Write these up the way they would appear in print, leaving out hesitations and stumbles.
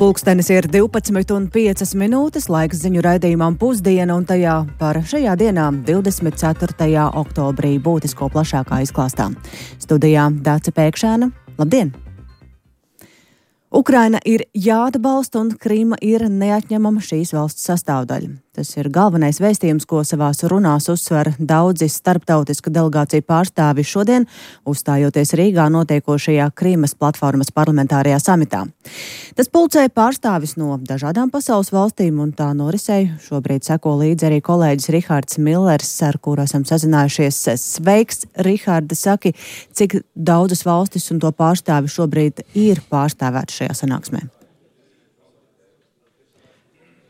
Pulkstenis ir 12:05, laiks ziņu raidījumam Pusdiena, un tajā par šajā dienā, 24. oktobrī, būtisko plašākā izklāstā. Studijā Dāce Pēkšēna. Labdien! Ukraina ir jāatbalsta un Krīma ir neatņemama šīs valsts sastāvdaļa. Tas ir galvenais vēstījums, ko savās runās uzsver daudzi starptautisku delegāciju pārstāvi šodien, uzstājoties Rīgā notiekošajā Krīmas platformas parlamentārajā samitā. Tas pulcē pārstāvis no dažādām pasaules valstīm, un tā norisei šobrīd seko līdzi arī kolēģis Rihards Millers, ar kuru esam sazinājušies. Sveiks, Riharda, saki, cik daudzas valstis un to pārstāvi šobrīd ir pārstāvēti šajā sanāksmē?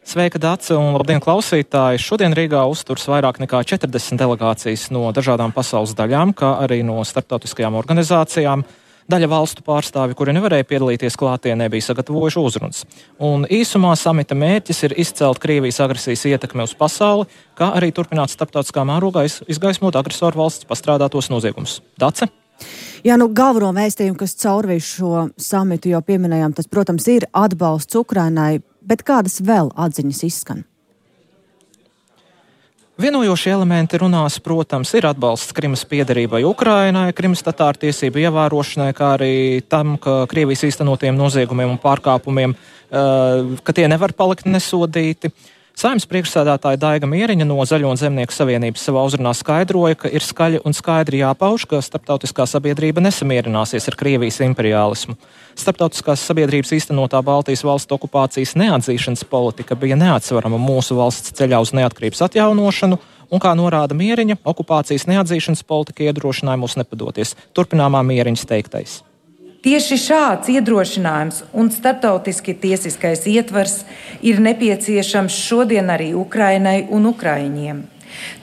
Sveika, Dace, un labdien, klausītāji! Šodien Rīgā uzturs vairāk nekā 40 delegācijas no dažādām pasaules daļām, kā arī no starptautiskajām organizācijām. Daļa valstu pārstāvi, kuri nevarēja piedalīties klātienē, bija sagatavojuši uzrunas. Un īsumā samita mērķis ir izcelt Krievijas agresijas ietekmi uz pasauli, kā arī turpināt starptautiskā mērogā izgaismot agresoru valsts pastrādātos noziegumus. Dace? Jā, galveno vēstījumu, kas caurvīs šo samitu jau pieminējām, tas, protams, ir atbalsts Ukrainai, bet kādas vēl atziņas izskan? Vienojošie elementi runās, protams, ir atbalsts Krimas piederībai Ukrainai, Krimas tatāru tiesību ievērošanai, kā arī tam, ka Krievijas īstenotiem noziegumiem un pārkāpumiem, ka tie nevar palikt nesodīti. Saeimas priekšsēdētāja Daiga Mieriņa no Zaļo un Zemnieku savienības savā uzrunā skaidroja, ka ir skaļi un skaidri jāpauž, ka starptautiskā sabiedrība nesamierināsies ar Krievijas imperiālismu. Starptautiskās sabiedrības īstenotā Baltijas valstu okupācijas neatzīšanas politika bija neatsvarama mūsu valsts ceļā uz neatkarības atjaunošanu, un, kā norāda Mieriņa, okupācijas neatzīšanas politika iedrošināja mūs nepadoties. Turpināmā Mieriņas teiktais. Tieši šāds iedrošinājums un starptautiski tiesiskais ietvars ir nepieciešams šodien arī Ukrainai un ukraiņiem.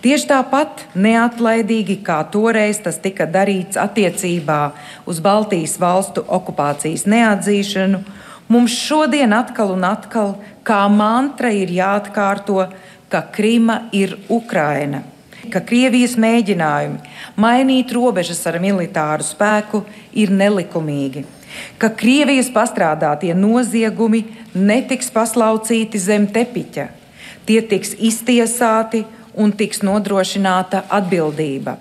Tieši tāpat neatlaidīgi, kā toreiz tas tika darīts attiecībā uz Baltijas valstu okupācijas neatzīšanu, mums šodien atkal un atkal kā mantra ir jāatkārto, ka Krima ir Ukraina, ka Krievijas mēģinājumi mainīt robežas ar militāru spēku ir nelikumīgi, ka Krievijas pastrādātie noziegumi netiks paslaucīti zem tepiķa, tie tiks iztiesāti un tiks nodrošināta atbildība.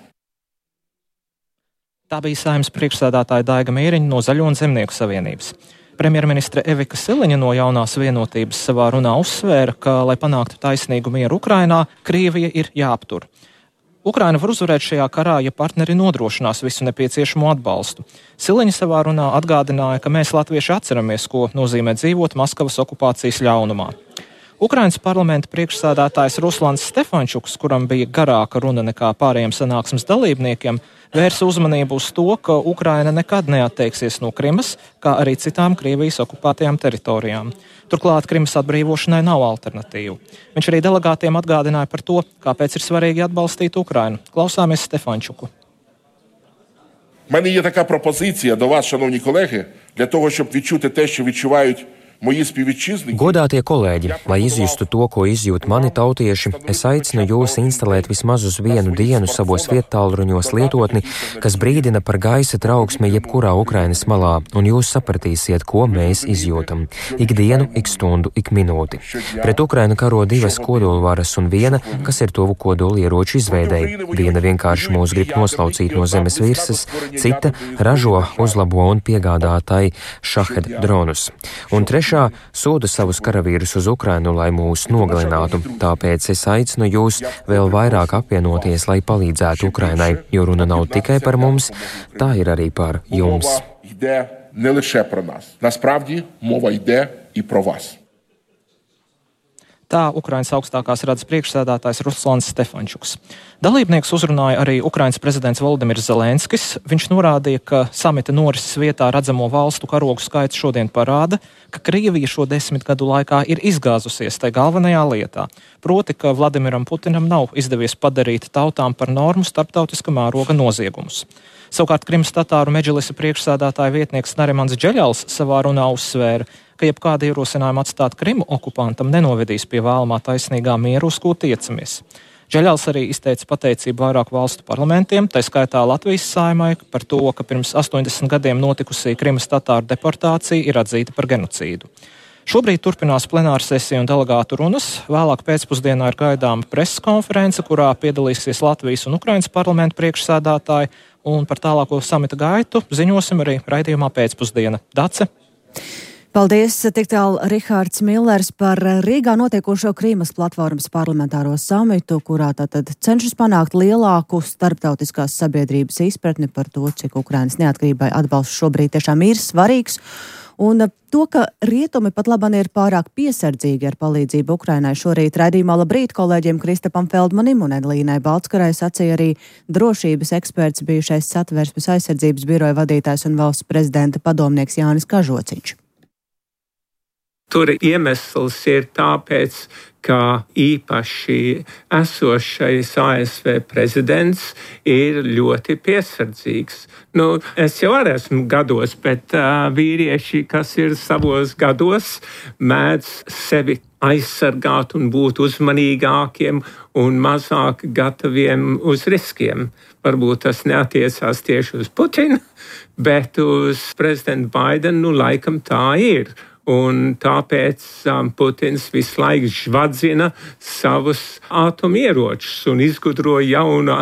Tā bija Saeimas priekšsēdētāja Daiga Mieriņa no Zaļo un Zemnieku savienības. Premjerministre Evika Siliņa no Jaunās vienotības savā runā uzsvēra, ka, lai panāktu taisnīgu mieru Ukrainā, Krievija ir jāaptur. Ukraina var uzvarēt šajā karā, ja partneri nodrošinās visu nepieciešamo atbalstu. Siliņa savā runā atgādināja, ka mēs latvieši atceramies, ko nozīmē dzīvot Maskavas okupācijas ļaunumā. Ukrainas parlamenta priekšsēdētājs Ruslans Stefančuks, kuram bija garāka runa nekā pārējiem sanāksmes dalībniekiem, vērsa uzmanību uz to, ka Ukraina nekad neatteiksies no Krimas, kā arī citām Krievijas okupētajām teritorijām. Turklāt Krimas atbrīvošanai nav alternatīvu. Viņš arī delegātiem atgādināja par to, kāpēc ir svarīgi atbalstīt Ukrainu. Klausāmies Stefančuku. У мене є така пропозиція до вас, шановні колеги, для того, щоб відчути те, що відчувають mої співвітчизники. Godātie kolēģi, lai izjustu to, ko izjūt mani tautieši, es aicinu jūs instalēt vismaz uz vienu dienu savos viettālruņos lietotni, kas brīdina par gaisa trauksmi jebkurā Ukrainas malā, un jūs sapratīsiet, ko mēs izjūtam. Ikdienu, ik stundu, ik minūti. Pret Ukrainu karo divas kodolvaras un viena, kas ir tuvu kodolieroču izveidei. Viena vienkārši mūs grib noslaucīt no zemes virsmas, cita ražo, uzlabo un piegādā tai šahed dronus. Un trešā sūta savus karavīrus uz Ukrainu, lai mūs nogalinātu. Tāpēc es aicinu jūs vēl vairāk apvienoties, lai palīdzētu Ukrainai, jo runa nav tikai par mums, tā ir arī par jums. Мова йде не лише про нас. Насправді, мова йде і про вас. Tā Ukrainas augstākās radas priekšsēdētājs Ruslans Stefančuks. Dalībnieks uzrunāja arī Ukrainas prezidents Volodimirs Zelenskis. Viņš norādīja, ka samita norises vietā redzamo valstu karogu skaits šodien parāda, ka Krievija šo 10 gadu laikā ir izgāzusies tai galvenajā lietā. Proti, ka Vladimiram Putinam nav izdevies padarīt tautām par normu starptautiska mēroga noziegumus. Savukārt Krimas tatāru medžlisa priekšsēdētāja vietnieks Narimans Džeļals savā runā uzsvēra, ka jebkāda ierosinājuma atstāt Krimu okupantam nenovedīs pie vēlamā taisnīgā mieru, uz ko tiecamies. Džeļals arī izteica pateicību vairāku valstu parlamentiem, tai skaitā Latvijas Saeimai, par to, ka pirms 80 gadiem notikusī Krimas tatāru deportācija ir atzīta par genocīdu. Šobrīd turpinās plenāra sesija un delegātu runas. Vēlāk pēcpusdienā ir gaidāma preses konference, kurā piedalīsies Latvijas un Ukrainas parlamentu priekšsēdētāji, un par tālāko samita gaitu ziņosim arī raidījumā pēcpusdiena. Dace. Paldies, tik tālu Rihards Millers par Rīgā notiekošo Krīmas platformas parlamentāro samitu, kurā tātad cenšas panākt lielāku starptautiskās sabiedrības izpratni par to, cik Ukrainas neatkarībai atbalsts šobrīd tiešām ir svarīgs. Un to, ka rietumi pat labāk ir pārāk piesardzīgi ar palīdzību Ukrainai, šorīt raidījumā Labrīt kolēģiem Kristapam Feldmanim un Edlīnai Baltskarai sacīja arī drošības eksperts, bijušais Satversmes aizsardzības biroja vadītājs un valsts prezidenta padomnieks Jānis Kažociņš. Tur iemesls ir tāpēc, ka īpaši esošais ASV prezidents ir ļoti piesardzīgs. Es jau arī esmu gados, bet vīrieši, kas ir savos gados, mēdz sevi aizsargāt un būt uzmanīgākiem un mazāk gataviem uz riskiem. Varbūt tas neatiecās tieši uz Putinu, bet uz prezidentu Baidenu laikam tā ir. Un tāpēc Putins visu laiku žvadzina savus atomieročus un izgudro jaunu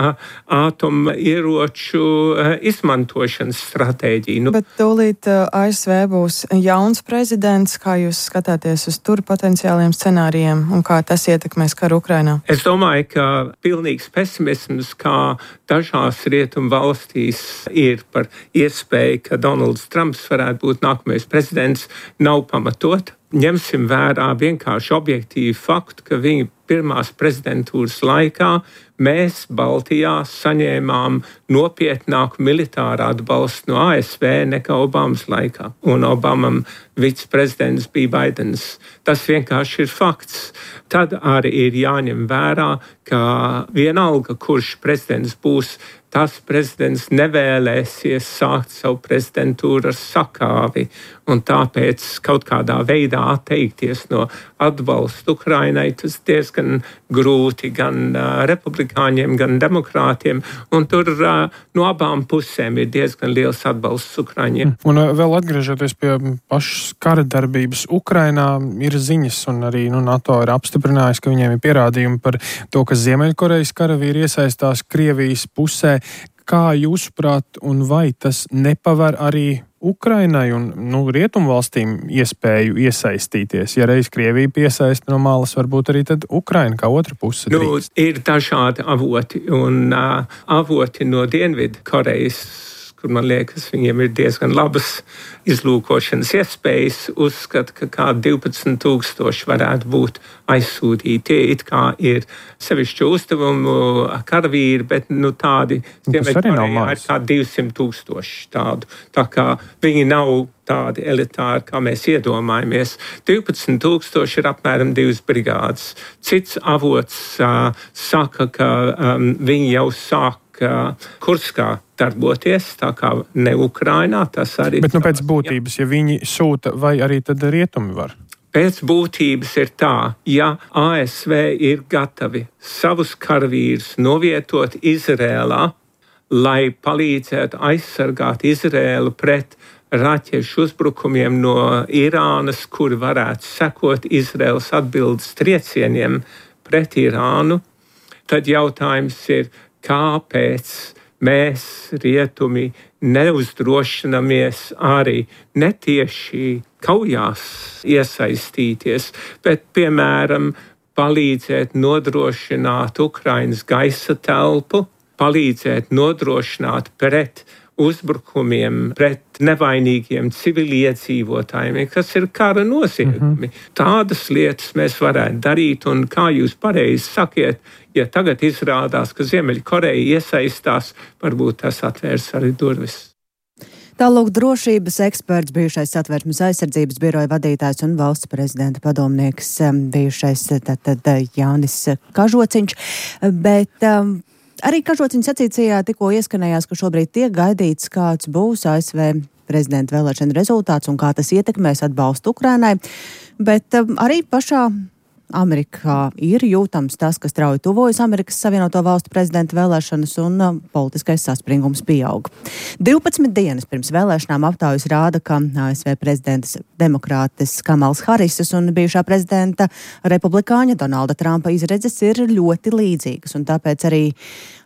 atomieroču izmantošanas stratēģiju. Bet tūlīt ASV būs jauns prezidents. Kā jūs skatāties uz tur potenciāliem scenārijiem un kā tas ietekmēs karu Ukrainā? Es domāju, ka pilnīgs pesimisms, kā dažās rietumu valstīs ir par iespēju, ka Donalds Trumps varētu būt nākamais prezidents, nav pamatot. Ņemsim vērā vienkārši objektīvu faktu, ka viņa pirmās prezidentūras laikā mēs Baltijā saņēmām nopietnāku militāru atbalstu no ASV nekā Obamas laikā. Un Obamam viceprezidents bija Baidens. Tas vienkārši ir fakts. Tad arī ir jāņem vērā, ka vienalga, kurš prezidents būs, tas prezidents nevēlēsies sākt savu prezidentūru ar sakāvi, un tāpēc kaut kādā veidā atteikties no atbalsta Ukrainai, tas diezgan grūti gan republikāņiem, gan demokrātiem, un tur no abām pusēm ir diezgan liels atbalsts Ukraiņiem. Un vēl atgriežoties pie pašas kara darbības Ukrainā, ir ziņas, un arī NATO ir apstiprinājis, ka viņiem ir pierādījumi par to, ka Ziemeļkorejas karavīri iesaistās Krievijas pusē. Kā jūsuprāt, un vai tas nepaver arī Ukrainai un rietumvalstīm iespēju iesaistīties? Ja reiz Krievija piesaista no malas, varbūt arī tad Ukraina kā otra puse drīkst. Ir dažādi avoti, un avoti no Dienvidu Korejas, kur man liekas, viņiem ir diezgan labas izlūkošanas iespējas, uzskata, ka kā 12,000 varētu būt aizsūtīti. Tie it kā ir sevišķu uzdevumu karavīri, bet tādi Ziemeļkorejā ir kā 200,000 tādu. Tā kā viņi nav tādi elitāri, kā mēs iedomājamies. 12,000 ir apmēram 2 brigādes. Cits avots saka, ka viņi jau sāk Kurskā darboties, tā kā ne Ukrainā, tas arī... Bet pēc būtības, ja viņi sūta, vai arī tad rietumi var? Pēc būtības ir tā, ja ASV ir gatavi savus karavīrus novietot Izrēlā, lai palīdzētu aizsargāt Izrēlu pret raķešu uzbrukumiem no Irānas, kuri varētu sekot Izrēlas atbildes triecieniem pret Irānu, tad jautājums ir, kāpēc mēs, rietumi, neuzdrošinamies arī netieši kaujās iesaistīties, bet, piemēram, palīdzēt nodrošināt Ukrainas gaisa telpu, palīdzēt nodrošināt pret uzbrukumiem pret nevainīgiem civiliedzīvotājiem, kas ir kara noziegumi. Tādas lietas mēs varētu darīt, un kā jūs pareizi sakiet, ja tagad izrādās, ka Ziemeļkoreja iesaistās, varbūt tas atvērs arī durvis. Tālūk drošības eksperts, bijušais Satversmes aizsardzības biroja vadītājs un valsts prezidenta padomnieks, bijušais Jānis Kažociņš, bet arī Kažociņa sacītajā tikko ieskanējās, ka šobrīd tiek gaidīts, kāds būs ASV prezidenta vēlēšana rezultāts un kā tas ietekmēs atbalstu Ukrainai, bet arī pašā Amerikā ir jūtams tas, ka strauji tuvojas Amerikas Savienoto Valstu prezidenta vēlēšanas un politiskais saspringums pieaug. 12 dienas pirms vēlēšanām aptaujas rāda, ka ASV prezidents demokrātes Kamals Harisas un bijušā prezidenta republikāņa Donalda Trumpa izredzes ir ļoti līdzīgas, un tāpēc arī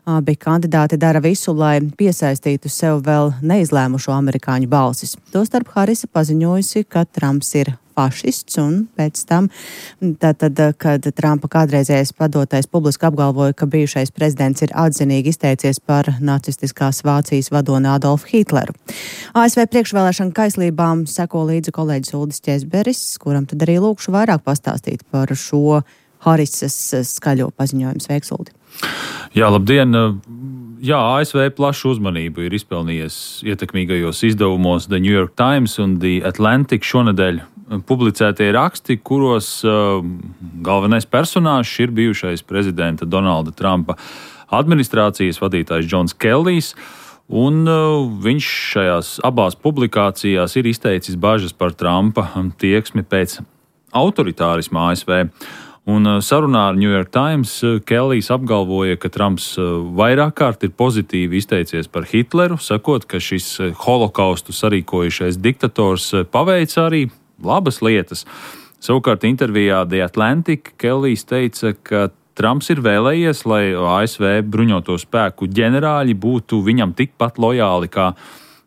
abi kandidāti dara visu, lai piesaistītu sev vēl neizlēmušo amerikāņu balsis. Tostarp Harisa paziņojusi, ka Trumps ir fašists, un pēc tam, kad Trumpa kādreizējais padotais publiski apgalvoja, ka bijušais prezidents ir atzinīgi izteicies par nacistiskās Vācijas vadoni Adolfu Hitleru. ASV priekšvēlēšana kaislībām seko līdzi kolēģis Uldis Ķezberis, kuram tad arī lūkšu vairāk pastāstīt par šo Harisas skaļo paziņojumu. Sveiks, Uldi! Jā, labdien! Jā, ASV plašu uzmanību ir izpelnījies ietekmīgajos izdevumos The New York Times un The Atlantic šonedēļ publicētie raksti, kuros galvenais personāžs ir bijušais prezidenta Donalda Trumpa administrācijas vadītājs Džons Kellijs, un viņš šajās abās publikācijās ir izteicis bažas par Trumpa tieksmi pēc autoritārisma ASV. Un sarunā ar New York Times Kellijs apgalvoja, ka Trumps vairāk kārt ir pozitīvi izteicies par Hitleru, sakot, ka šis holokaustu sarīkojušais diktators paveica arī labas lietas. Savukārt intervijā The Atlantic Kellijs teica, ka Trumps ir vēlējies, lai ASV bruņoto spēku ģenerāļi būtu viņam tikpat lojāli kā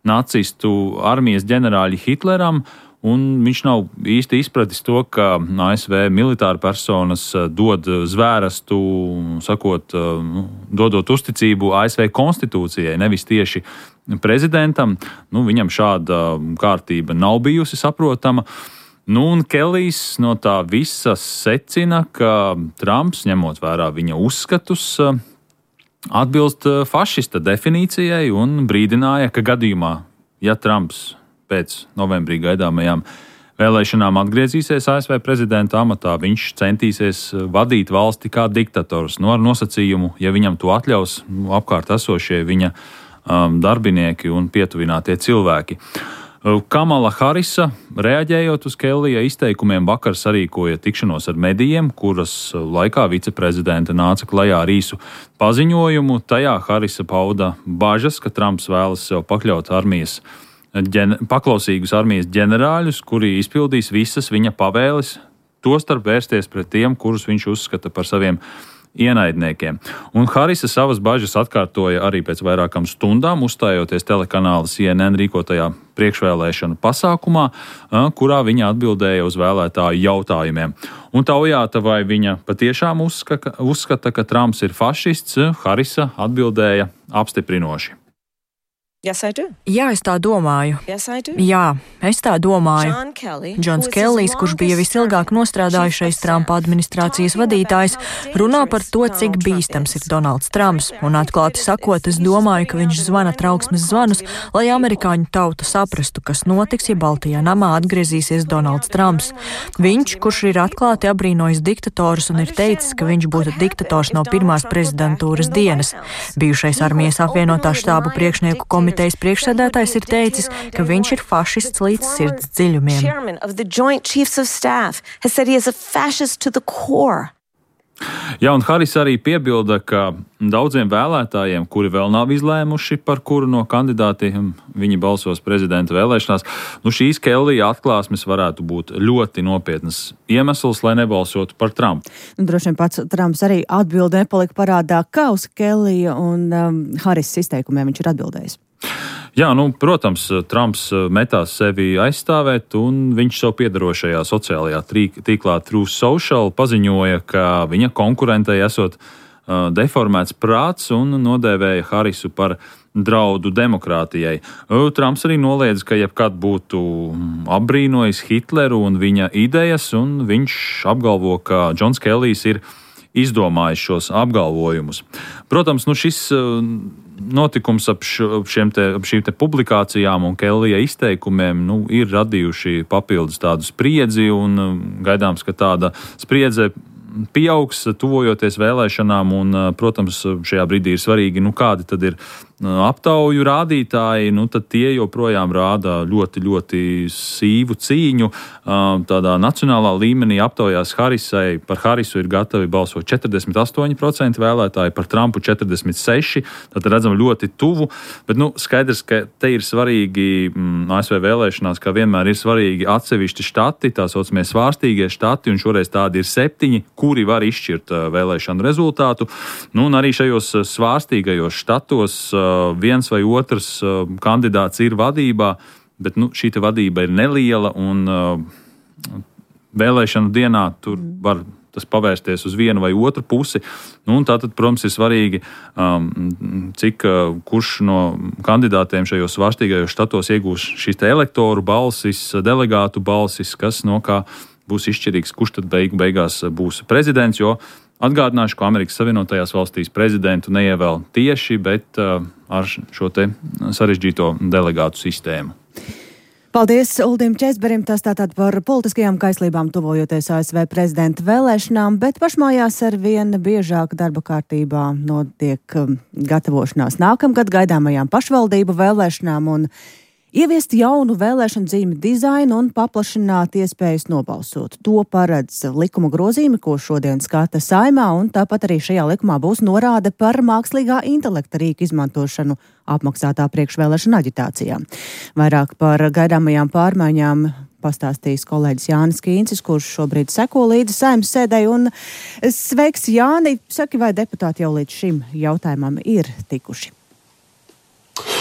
nacistu armijas ģenerāļi Hitleram, un viņš nav īsti izpratis to, ka ASV militāra personas dod zvērestu, sakot, dodot uzticību ASV konstitūcijai, nevis tieši prezidentam. Viņam šāda kārtība nav bijusi saprotama. Un Kellijs no tā visa secina, ka Trumps, ņemot vērā viņa uzskatus, atbilst fašista definīcijai un brīdināja, ka gadījumā, ja Trumps pēc novembrī gaidāmajām vēlēšanām atgriezīsies ASV prezidenta amatā, viņš centīsies vadīt valsti kā diktators, ar nosacījumu, ja viņam to atļaus apkārt esošie viņa darbinieki un pietuvinātie cilvēki. Kamala Harisa, reaģējot uz Kellija izteikumiem, vakar sarīkoja tikšanos ar medijiem, kuras laikā viceprezidente nāca klajā ar īsu paziņojumu. Tajā Harisa pauda bažas, ka Trumps vēlas sev pakļaut paklausīgus armijas ģenerāļus, kuri izpildīs visas viņa pavēles, tostarp vērsties pret tiem, kurus viņš uzskata par saviem ienaidniekiem. Un Harisa savas bažas atkārtoja arī pēc vairākām stundām, uzstājoties telekanāla CNN rīkotajā priekšvēlēšanu pasākumā, kurā viņa atbildēja uz vēlētāju jautājumiem. Un taujāta, vai viņa patiešām uzskata, ka Trumps ir fašists, Harisa atbildēja apstiprinoši. Yes, I do. Jā, es tā domāju. Yes, I do. Jā, es tā domāju. Džons Kellijs, kurš bija visilgāk nostrādājušais Trumpa administrācijas vadītājs, runā par to, cik bīstams ir Donalds Trumps. Un atklāti sakot, es domāju, ka viņš zvana trauksmes zvanus, lai amerikāņu tauta saprastu, kas notiks, ja Baltajā namā atgriezīsies Donalds Trumps. Viņš, kurš ir atklāti abrīnojis diktatorus un ir teicis, ka viņš būtu diktators no pirmās prezidentūras dienas. Bijušais armijas apvienotā štābu priekšnieku komitejas priekšsēdētājs ir teicis, ka viņš ir fašists līdz sirds dziļumiem. Jā, un Haris arī piebilda, ka daudziem vēlētājiem, kuri vēl nav izlēmuši, par kuru no kandidātiem viņi balsos prezidenta vēlēšanās, šīs Kellija atklāsmes varētu būt ļoti nopietnas iemesls, lai nebalsotu par Trumpu. Droši vien pats Trumps arī atbildi nepalika parādā, kā uz Kellija un Haris izteikumiem viņš ir atbildējis. Jā, protams, Trumps metās sevi aizstāvēt, un viņš savu piedarošajā sociālajā tīklā Truth Social paziņoja, ka viņa konkurentei esot deformēts prāts un nodēvēja Harisu par draudu demokrātijai. Trumps arī noliedz, ka jebkad būtu apbrīnojis Hitleru un viņa idejas, un viņš apgalvo, ka Džons Kellijs ir izdomājis šos apgalvojumus. Protams, šis notikums ap šīm te publikācijām un Kellija izteikumiem ir radījuši papildus tādu spriedzi, un gaidāms, ka tāda spriedze pieaugs, tuvojoties vēlēšanām, un, protams, šajā brīdī ir svarīgi, kādi tad ir aptauju rādītāji, tad tie joprojām rāda ļoti, ļoti sīvu cīņu. Tādā nacionālā līmenī aptaujās Harisai. Par Harisu ir gatavi balsot 48% vēlētāji, par Trumpu 46%. Tad redzam ļoti tuvu. Bet skaidrs, ka te ir svarīgi ASV vēlēšanās, kā vienmēr ir svarīgi atsevišķi štati, tā saucamie svārstīgie štati, un šoreiz tādi ir 7, kuri var izšķirt vēlēšanu rezultātu. Un arī šajos svārstīgajos štatos viens vai otrs kandidāts ir vadībā, bet šī vadība ir neliela un vēlēšanu dienā tur var tas pavērsties uz vienu vai otru pusi. Tātad, protams, ir svarīgi, kurš no kandidātiem šajos svārstīgajos štatos iegūs šīs elektoru balsis, delegātu balsis, kas kā būs izšķirīgs, kurš tad beigās būs prezidents, jo atgādināšu, ka Amerikas Savienotajās valstīs prezidentu neievēl tieši, bet ar šo te sarežģīto delegātu sistēmu. Paldies Uldim Česberim, tas tātad par politiskajām kaislībām tuvojoties ASV prezidenta vēlēšanām, bet pašmājās ar vien biežāk darba kārtībā notiek gatavošanās nākamgad gaidāmajām pašvaldību vēlēšanām un ieviest jaunu vēlēšanu zīmi dizainu un paplašināt iespējas nobalsot. To paredz likuma grozījumi, ko šodien skata Saeimā, un tāpat arī šajā likumā būs norāde par mākslīgā intelekta rīku izmantošanu apmaksātā priekšvēlēšana aģitācijā. Vairāk par gaidāmajām pārmaiņām pastāstīs kolēģis Jānis Kīncis, kurš šobrīd seko līdzi Saeimas sēdei. Un sveiks, Jāni! Saki, vai deputāti jau līdz šim jautājumam ir tikuši?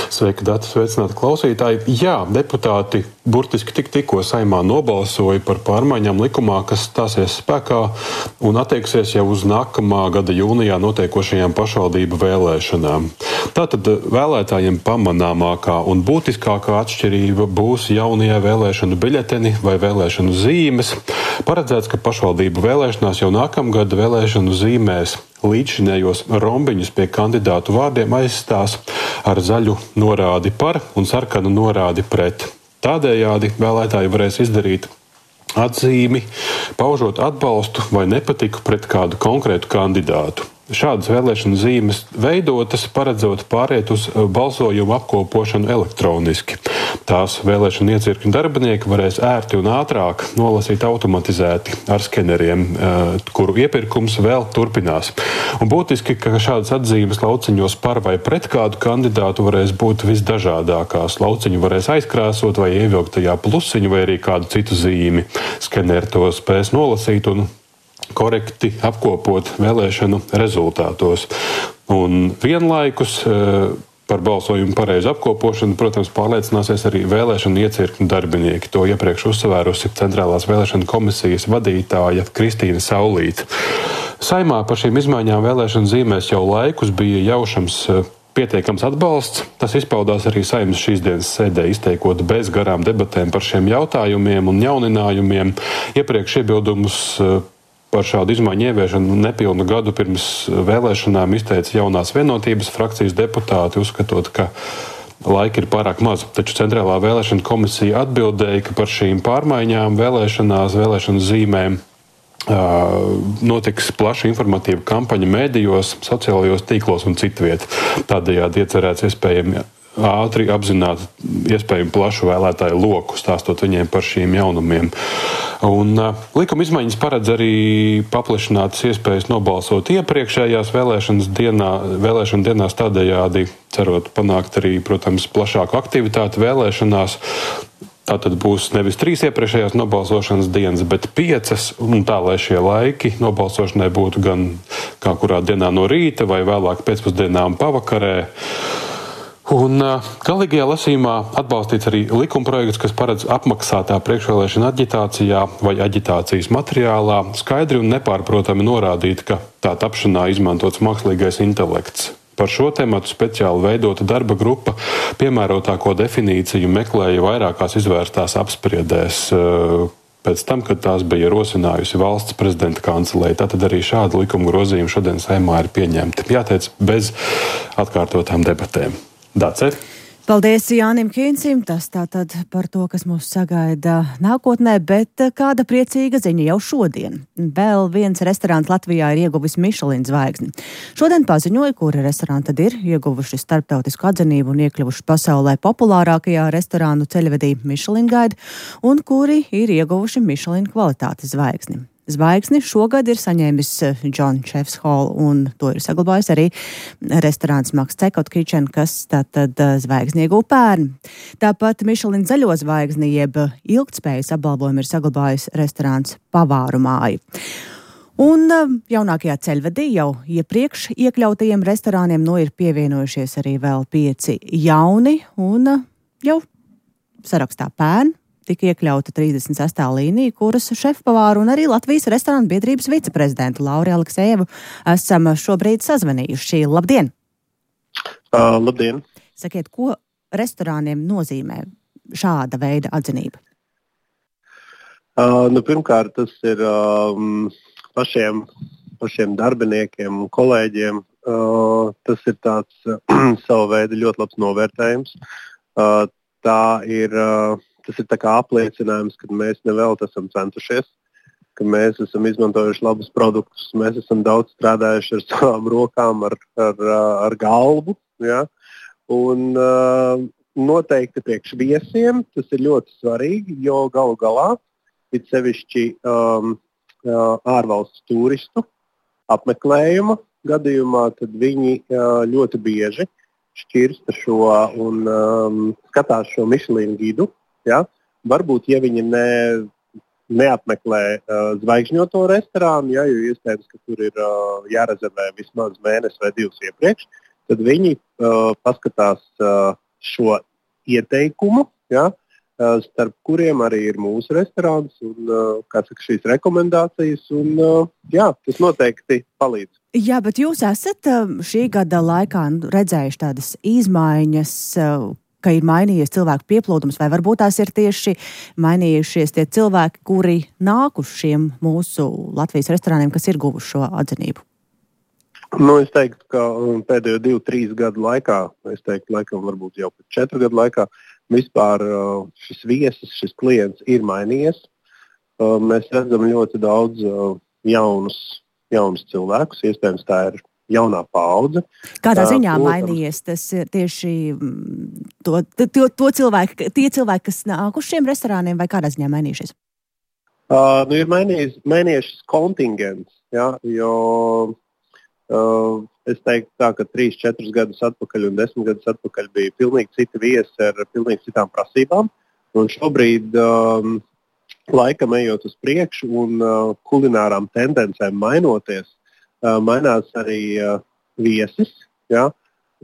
Sveiki, Dati, sveicināti klausītāji. Jā, deputāti burtiski tikko Saeimā nobalsoja par pārmaiņām likumā, kas stāsies spēkā un attieksies jau uz nākamā gada jūnijā notiekošajām pašvaldību vēlēšanām. Tātad vēlētājiem pamanāmākā un būtiskākā atšķirība būs jaunie vēlēšanu biļeteni vai vēlēšanu zīmes. Paredzēts, ka pašvaldību vēlēšanās jau nākamgad vēlēšanu zīmēs līdzšinējos rombiņus pie kandidātu vārdiem aizstās ar zaļu norādi par un sarkanu norādi pret. Tādējādi vēlētāji varēs izdarīt atzīmi, paužot atbalstu vai nepatiku pret kādu konkrētu kandidātu. Šādas vēlēšanu zīmes veidotas, paredzot pāriet uz balsojumu apkopošanu elektroniski. Tās vēlēšanu iecirkņu darbinieki varēs ērti un ātrāk nolasīt automatizēti ar skeneriem, kuru iepirkums vēl turpinās. Un būtiski, ka šādas atzīmes lauciņos par vai pret kādu kandidātu varēs būt visdažādākās. Lauciņu varēs aizkrāsot vai ievilkt tajā plusiņu vai arī kādu citu zīmi. Skeneri to spēs nolasīt un korekti apkopot vēlēšanu rezultātos. Un vienlaikus par balsojumu pareizu apkopošanu, protams, pārliecināsies arī vēlēšanu iecirkņu darbinieki. To iepriekš uzsvērusi Centrālās vēlēšanu komisijas vadītāja Kristīna Saulīte. Saeimā par šīm izmaiņām vēlēšanu zīmēs jau laikus bija jaušams pietiekams atbalsts. Tas izpaudās arī Saeimas šīs dienas sēdē, izteikot bez garām debatēm par šiem jautājumiem un jauninājumiem. Iepriekš iebildumus par šādu izmaiņu ieviešanu nepilnu gadu pirms vēlēšanām izteica Jaunās vienotības frakcijas deputāti, uzskatot, ka laika ir pārāk maz. Taču Centrālā vēlēšana komisija atbildēja, ka par šīm pārmaiņām vēlēšanu zīmēm notiks plaša informatīva kampaņa mēdījos, sociālajos tīklos un citviet. Tādējādi iecerēts iespējami ātri apzināt iespējami plašu vēlētāju loku, stāstot viņiem par šīm jaunumiem. Un likuma izmaiņas paredz arī paplašinātas iespējas nobalsot iepriekšējās vēlēšanu dienās, tādējādi cerot panākt arī, protams, plašāku aktivitāti vēlēšanās. Tātad būs nevis 3 iepriekšējās nobalsošanas dienas, bet 5, un tā, lai šie laiki nobalsošanai būtu gan kā kurā dienā no rīta vai vēlāk pēcpusdienā un pavakarē. Un galīgajā lasījumā atbalstīts arī likumprojekts, kas paredz apmaksātā priekšvēlēšana aģitācijā vai aģitācijas materiālā skaidri un nepārprotami norādīt, ka tā tapšanā izmantots mākslīgais intelekts. Par šo tematu speciāli veidota darba grupa piemērotāko definīciju meklēja vairākās izvērstās apspriedēs pēc tam, kad tās bija rosinājusi valsts prezidenta kancelēja. Tātad arī šāda likuma grozījuma šodien Saeimā ir pieņemti. Jāteic, bez atkārtotām debatēm. Dace? Paldies Jānim Kīncim, tas tātad par to, kas mūs sagaida nākotnē, bet kāda priecīga ziņa jau šodien. Vēl viens restorāns Latvijā ir ieguvis Michelin zvaigzni. Šodien paziņoja, kuri restorāni tad ir ieguvuši starptautisku atzinību un iekļuvuši pasaulē populārākajā restorānu ceļvedī Michelin Guide un kuri ir ieguvuši Michelin kvalitātes zvaigzni. Zvaigzni šogad ir saņēmis John Chefs Hall, un to ir saglabājis arī restorāns Max Cekot Kitchen, kas tātad zvaigzni ieguva pērn. Tāpat Michelin zaļo zvaigzni, jeb ilgtspējas apbalvojumu ir saglabājis restorāns Pavāru māja. Un jaunākajā ceļvedī jau iepriekš iekļautajiem restorāniem ir pievienojušies arī vēl 5 jauni, un jau sarakstā pērn tika iekļauta 36. līnija, kuras šefpavāru un arī Latvijas restorānu biedrības viceprezidentu Lauri Aleksējevu esam šobrīd sazvanījuši. Labdien! Labdien! Sakiet, ko restorāniem nozīmē šāda veida atzinība? Pirmkārt, tas ir pašiem darbiniekiem un kolēģiem. Tas ir tāds savu veidu ļoti labs novērtējums. Tas ir tā kā apliecinājums, ka mēs nevelti esam centušies, ka mēs esam izmantojuši labus produktus, mēs esam daudz strādājuši ar savām rokām, ar galvu. Ja? Un noteikti priekš viesiem tas ir ļoti svarīgi, jo galu galā ir sevišķi ārvalstu turistu apmeklējuma gadījumā, tad viņi ļoti bieži šķirsta šo un skatās šo Michelin gidu. Ja? Varbūt, ja viņi neapmeklē zvaigžņoto restorānu, ja, jo iespējams, ka tur ir jārezervē vismaz mēnesi vai 2 iepriekš, tad viņi paskatās šo ieteikumu, ja, starp kuriem arī ir mūsu restorāns un šīs rekomendācijas. Un, tas noteikti palīdz. Jā, bet jūs esat šī gada laikā redzējuši tādas izmaiņas, ka ir mainījies cilvēku pieplūdums, vai varbūt tās ir tieši mainījušies tie cilvēki, kuri nāk uz šiem mūsu Latvijas restorāniem, kas ir guvuši šo atzinību? Es teiktu, ka pēdējo 2-3 gadu laikā, varbūt jau 4 gadu laikā, vispār šis viesis, šis klients ir mainījies. Mēs redzam ļoti daudz jaunus cilvēkus, iespējams tā ir jaunā paudze. Kādā ziņā mainījies tas tieši tie cilvēki, kas nāk uz šiem restorāniem, vai kādā ziņā mainījušies? Ir mainījies kontingents, ja, jo es teiktu tā, ka 3-4 gadus atpakaļ un 10 gadus atpakaļ bija pilnīgi citi viesi ar pilnīgi citām prasībām. Un šobrīd laikam ejot uz priekšu un kulinārām tendencēm mainoties, mainās arī viesis. Ja?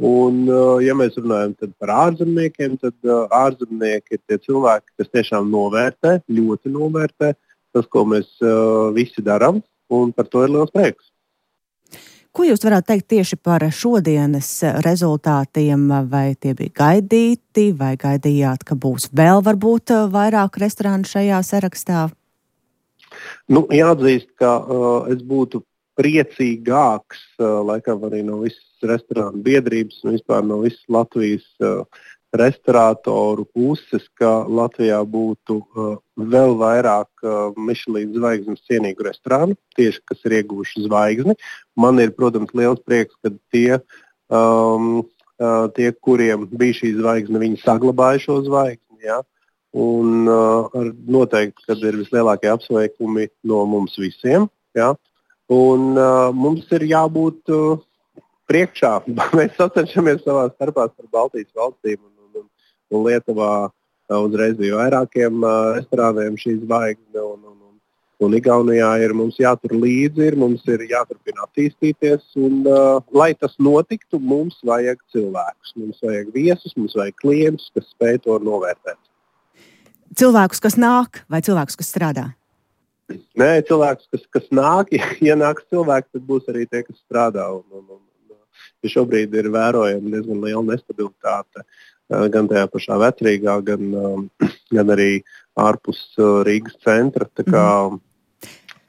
Un, ja mēs runājam par ārzemniekiem, tad ārzemnieki ir tie cilvēki, kas tiešām ļoti novērtē tas, ko mēs visi darām, un par to ir liels prieks. Ko jūs varētu teikt tieši par šodienas rezultātiem? Vai tie bija gaidīti, vai gaidījāt, ka būs vēl varbūt vairāk restorānu šajā sarakstā? Jāatzīst, ka es būtu priecīgāks, laikam arī no visas restorānu biedrības un vispār no visas Latvijas restorātoru puses, ka Latvijā būtu vēl vairāk Michelin zvaigznes cienīgu restorānu, tieši kas ir ieguvuši zvaigzni. Man ir, protams, liels prieks, ka tie, kuriem bija šī zvaigzne, viņi saglabāja šo zvaigzni. Ja? Un noteikti, kad ir vislielākie apsveikumi no mums visiem. Ja? Un mums ir jābūt priekšā. Mēs sacenšamies savā starpā ar Baltijas valstīm un Lietuvā uzreiz bija vairākiem restorāniem šī zvaigzne. Un Igaunijā ir mums jātur līdzi, mums ir jāturpina attīstīties. Un, lai tas notiktu, mums vajag cilvēkus. Mums vajag viesus, mums vajag klientus, kas spēj to novērtēt. Cilvēkus, kas nāk, vai cilvēkus, kas strādā? Nē, cilvēks, kas nāk, ja nāks cilvēks, tad būs arī tie, kas strādā. Ja šobrīd ir vērojama diezgan liela nestabilitāte gan tajā pašā Vecrīgā, gan arī ārpus Rīgas centra. Tā kā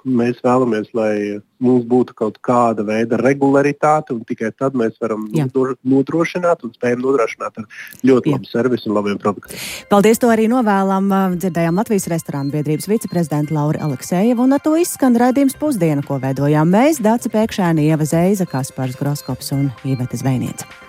Mēs vēlamies, lai mums būtu kaut kāda veida regularitāte, un tikai tad mēs varam nodrošināt un spējam nodrošināt ar ļoti labu servisu un labiem produktiem. Paldies, to arī novēlam. Dzirdējām Latvijas restorānu biedrības viceprezidentu Lauri Aleksejevu, un ar to izskan raidījums Pusdiena, ko veidojām mēs, Dace Pēkšēni, Ieva Zeiza, Kaspars Groskops un Iveta Zvejniece.